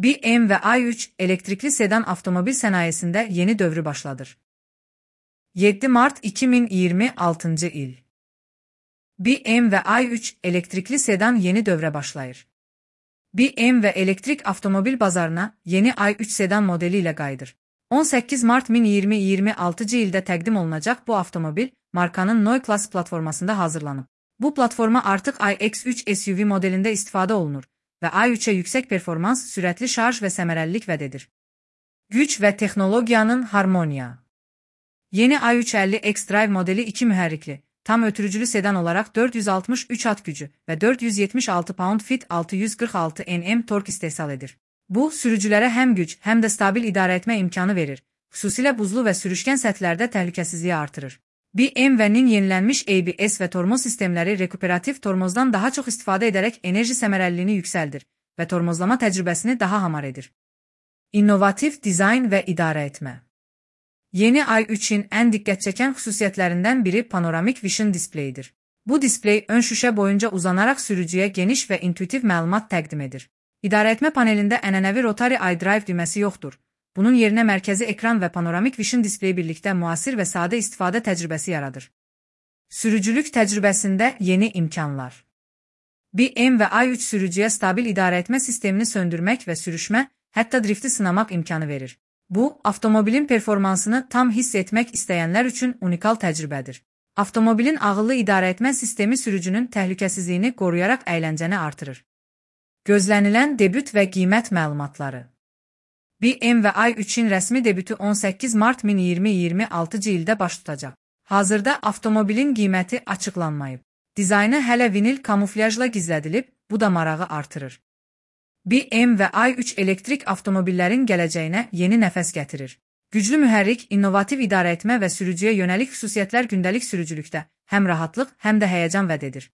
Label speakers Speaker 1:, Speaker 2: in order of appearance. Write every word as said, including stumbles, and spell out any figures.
Speaker 1: B M W i üç elektrikli sedan avtomobil sənayesində yeni dövrü başladır. yeddi mart iki min iyirmi altıncı il. B M W i üç elektrikli sedan yeni dövrə başlayır. B M W elektrik avtomobil bazarına yeni i üç sedan modeli ilə qayıdır. on səkkiz mart iki min iyirmi altıncı ildə təqdim olunacaq bu avtomobil, markanın Neue Klasse platformasında hazırlanıb. Bu platforma artıq i X üç S U V modelində istifadə olunur və i üçə yüksək performans, sürətli şarj və səmərəlilik vəd edir. Güc və texnologiyanın harmoniya. Yeni i üç əlli xDrive modeli iki mühərrikli, tam ötürücülü sedan olaraq dörd yüz altmış üç at gücü və dörd yüz yetmiş altı pound-fit altı yüz qırx altı newton tork istehsal edir. Bu, sürücülərə həm güc, həm də stabil idarə etmə imkanı verir, xüsusilə buzlu və sürüşkən səthlərdə təhlükəsizliyi artırır. B M W-nin yenilənmiş A B S və tormoz sistemləri rekuperativ tormozdan daha çox istifadə edərək enerji səmərəliliyini yüksəldir və tormozlama təcrübəsini daha hamar edir. İnnovativ dizayn və idarə etmə. Yeni i üçün ən diqqət çəkən xüsusiyyətlərindən biri panoramik vision displeyidir. Bu displey ön şüşə boyunca uzanaraq sürücüyə geniş və intuitiv məlumat təqdim edir. İdarəetmə panelində ənənəvi Rotary iDrive düyməsi yoxdur. Bunun yerinə mərkəzi ekran və panoramik vision displeyi birlikdə müasir və sadə istifadə təcrübəsi yaradır. Sürücülük təcrübəsində yeni imkanlar. B M W i üç sürücüyə stabil idarəetmə sistemini söndürmək və sürüşmə, hətta drifti sınamaq imkanı verir. Bu, avtomobilin performansını tam hiss etmək istəyənlər üçün unikal təcrübədir. Avtomobilin ağıllı idarəetmə sistemi sürücünün təhlükəsizliyini qoruyaraq əyləncəni artırır. Gözlənilən debüt və qiymət məlumatları. B M W i üçün rəsmi debütü on səkkiz mart iki min iyirmi altıncı ildə baş tutacaq. Hazırda avtomobilin qiyməti açıqlanmayıb. Dizaynı hələ vinil kamuflyajla gizlədilib, bu da marağı artırır. B M W i üç elektrik avtomobillərin gələcəyinə yeni nəfəs gətirir. Güclü mühərrik, innovativ idarəetmə və sürücüyə yönəlik xüsusiyyətlər gündəlik sürücülükdə həm rahatlıq, həm də həyəcan vəd edir.